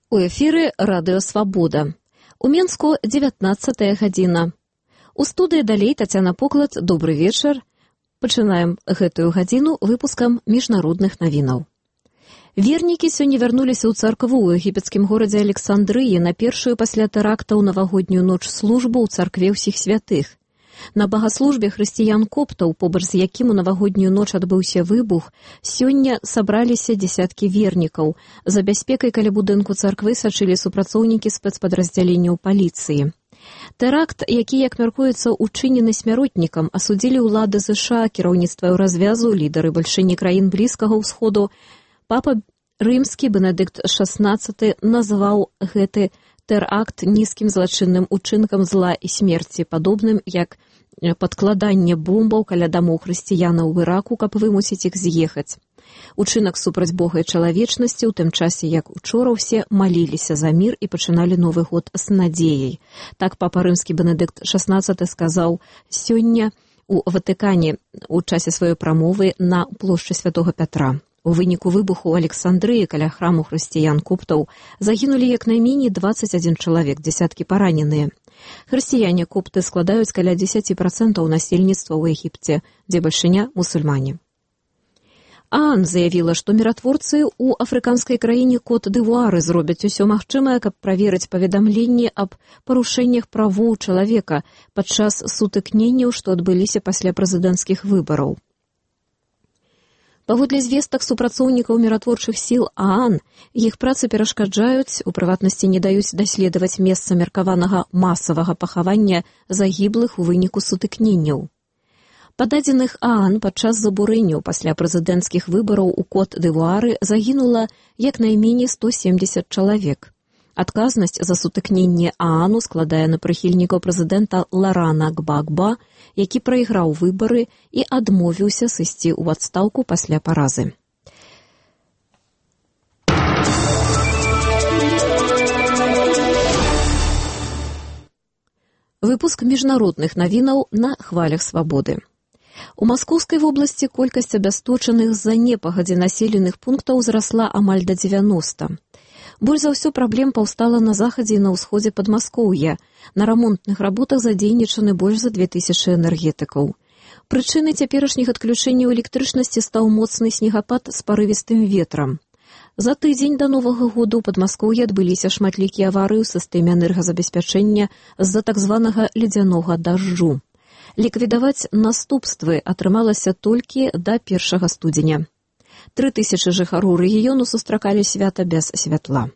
У эфіры радыё «Свабода». У Менску 19-я гадзіна. У студыі далей Тацяна Поклад. Добры вечар. Пачынаем гэтую гадзіну выпускам міжнародных навінаў. Вернікі сёння вярнуліся ў царкву ў егіпецкім горадзе Александрыі на першую пасля тэракта ў навагоднюю ноч службу ў царкве ўсіх святых. На багаслужбе хрысціян-коптаў, побач з якім у навагоднюю ноч адбыўся выбух, сёння сабраліся дзесяткі вернікаў. За бяспекай каля будынку царквы сачылі супрацоўнікі спецпадраздзяленняў паліцыі. Тэракт, які, як мяркуецца, учынены смяротнікам, асудзілі ўлады ЗША, кіраўніцтва Еўразвязу, лідары бальшыні краін Блізкага ўсходу. Папа рымскі Бенедыкт XVI назваў гэты тэракт нізкім злачынным учынкам зла і смерці, падобным як падкладанне бомбаў каля дамоў хрысціянаў ў Іраку, каб вымусіць іх з'ехаць. Учынак супраць Бога і чалавечнасці, у тым часе, як учора ўсе маліліся за мір і пачыналі Новы год з надзеяй. Так папа рымскі Бенедыкт XVI сказаў сёння у Ватыкане у часе сваёй прамовы на плошчы Святога Пятра. У выніку выбуху ў Александрыі каля храму хрысціян-коптаў загінулі як найменей 21 чалавек, дзесяткі параненыя. Хрысціяне-копты складаюць каля 10% насельніцтва ў Егіпце, дзе бальшыня мусульмане. ААН заявіла, што міратворцы ў афрыканскай краіне Кот-д'Івуары зробяць усё магчымае, каб праверыць паведамленні аб парушэннях правоў чалавека падчас сутыкненняў, што адбыліся пасля прэзідэнцкіх выбараў. Паводле звестак супрацоўнікаў міратворчых сіл ААН, іх працы перашкаджаюць, у прыватнасці не даюць даследаваць месца меркаванага масавага пахавання загіблых у выніку сутыкненняў. Па дадзеных ААН падчас забурэнняў пасля прэзідэнцкіх выбараў у Кот-д'Івуары загінула як найменей 170 чалавек. Адказнасць за сутыкненне ААНу складае на прыхільнікаў прэзідэнта Ларана Гбагба, які прайграў выбары і адмовіўся сысці ў адстаўку пасля паразы. Выпуск міжнародных навінаў на хвалях свабоды. У Маскоўскай вобласці колькасць абясточаных з-за непагадзі населеных пунктаў зрасла амаль да 90. Больш за ўсё праблем паўстала на захадзе і на ўсходзе Падмаскоўя. На рамонтных работах задзейнічаны больш за 2000 энергетыкаў. Прычынай цяперашніх адключэнняў электрычнасці стаў моцны снегапад з парывістым ветрам. За тыдзень да Новага года ў Падмаскоўі адбыліся шматлікія аварыі ў сістэме энергазабеспячэння з-за так званага ледзянога дажджу. Ліквідаваць наступствы атрымалася толькі да 1 студзеня. 3000 жыхароў рэгіёну сустракалі свята без святла.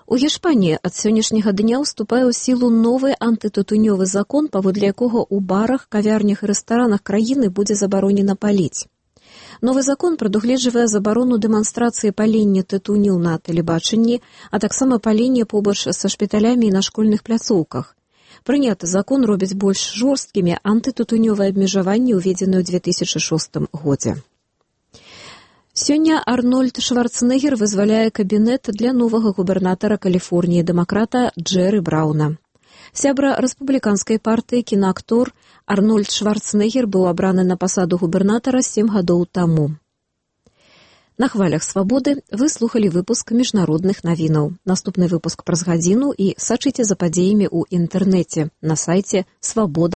У Гішпаніі ад сённяшняга дня ўступае ў сілу новы антытытунёвы закон, паводле якога ў барах, кавярнях і рэстаранах краіны будзе забаронена паліць. Новы закон прадугледжвае забарону дэманстрацыі палення тытуню на тэлебачанні, а таксама палення побач са шпіталямі і на школьных пляцоўках. Прыняты закон робіць больш жорсткімі антытытунёвыя абмежаванні, уведзеныя ў 2006 годзе. Сёння Арнольд Шварцэнеггер вызваляе кабінет для новага губернатара Каліфорніі дэмакрата Джэры Брауна. Сябра рэспубліканскай партыі кінаактор Арнольд Шварцэнеггер быў абраны на пасаду губернатара 7 гадоў таму. На хвалях свабоды вы слухалі выпуск міжнародных навінаў. Наступны выпуск праз гадзіну і сачыце за падзеямі ў інтэрнэце на сайце свабода.